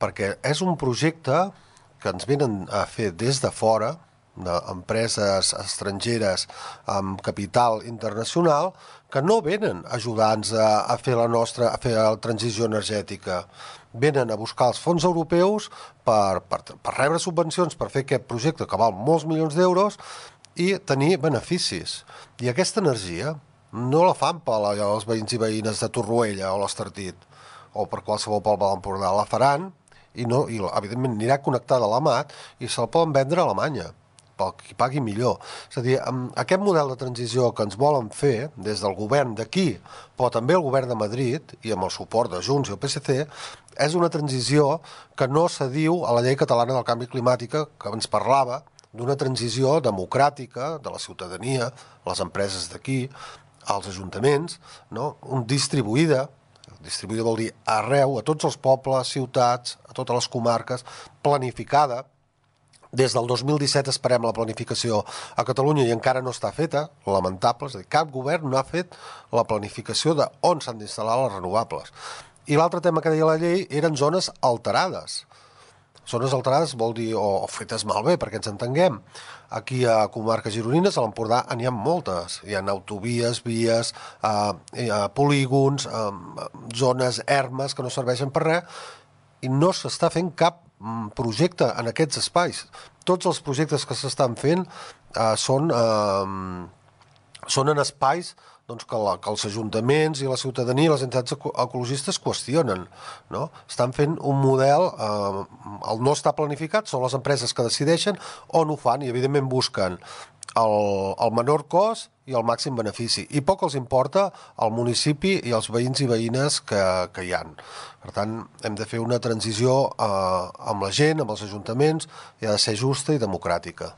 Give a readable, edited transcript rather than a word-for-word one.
perquè és un projecte que ens venen a fer des de fora, d'empreses estrangeres amb capital internacional, que no venen a ajudar-nos a fer a fer la transició energètica. Venen a buscar els fons europeus per rebre subvencions per fer aquest projecte que val molts milions d'euros i tenir beneficis. I aquesta energia no la fan per als veïns i veïnes de Torroella o l'Estartit o per qualsevol poble de l'Empordà. La faran i evidentment anirà connectada a l'AMAT i se'l poden vendre a Alemanya pel qui pagui millor. És a dir, aquest model de transició que ens volen fer des del govern d'aquí, però també el govern de Madrid i amb el suport de Junts i el PSC, és una transició que no s'adiu a la llei catalana del canvi climàtic que ens parlava d'una transició democràtica de la ciutadania, les empreses d'aquí, als ajuntaments, no? Distribuïda vol dir arreu, a tots els pobles, ciutats, a totes les comarques, planificada. Des del 2017 esperem la planificació a Catalunya i encara no està feta, lamentable, és a dir, cap govern no ha fet la planificació d'on s'han d'instal·lar les renovables. I l'altre tema que deia la llei eren zones alterades. Zones alterades vol dir, o fetes malbé, perquè ens entenguem. Aquí a comarques gironines, a l'Empordà, n'hi ha moltes. Hi ha autovies, vies, polígons, zones ermes que no serveixen per res, i no s'està fent cap projecte en aquests espais. Tots els projectes que s'estan fent són en espais que els ajuntaments i la ciutadania i les entitats ecologistes qüestionen. No? Estan fent un model, el no està planificat, són les empreses que decideixen on ho fan i evidentment busquen el menor cost i el màxim benefici. I poc els importa el municipi i els veïns i veïnes que hi ha. Per tant, hem de fer una transició amb la gent, amb els ajuntaments, i ha de ser justa i democràtica.